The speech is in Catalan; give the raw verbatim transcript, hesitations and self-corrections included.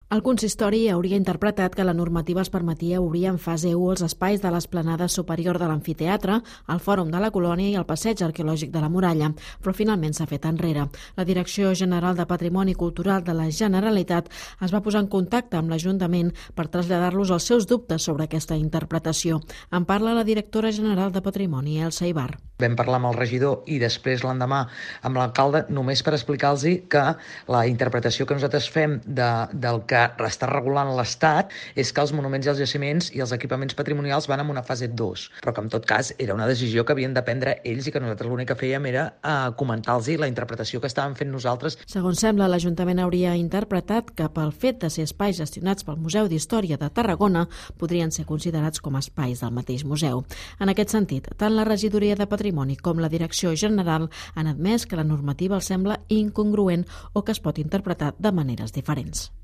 El consistori hauria interpretat que la normativa es permetia obrir en fase u els espais de l'esplanada superior de l'amfiteatre, el Fòrum de la Colònia i el Passeig Arqueològic de la Muralla, però finalment s'ha fet enrere. La Direcció General de Patrimoni Cultural de la Generalitat es va posar en contacte amb l'Ajuntament per traslladar-los els seus dubtes sobre aquesta interpretació. En parla la directora general de Patrimoni, Elsa Ibar. Vam parlar amb el regidor i després l'endemà amb l'alcalde només per explicar-los que la interpretació que nosaltres fem de, del que està regulant l'Estat és que els monuments i els jaciments i els equipaments patrimonials van en una fase dos, però que en tot cas era una decisió que havien de prendre ells i que nosaltres l'únic que fèiem era eh, comentar-los la interpretació que estàvem fent nosaltres. Segons sembla, l'Ajuntament hauria interpretat que pel fet de ser espais gestionats pel Museu d'Història de Tarragona podrien ser considerats com a espais del mateix museu. En aquest sentit, tant la Regidoria de Patrimoni com la Direcció General han admès que la normativa els sembla incongruent o que es pot interpretar de maneres diferents.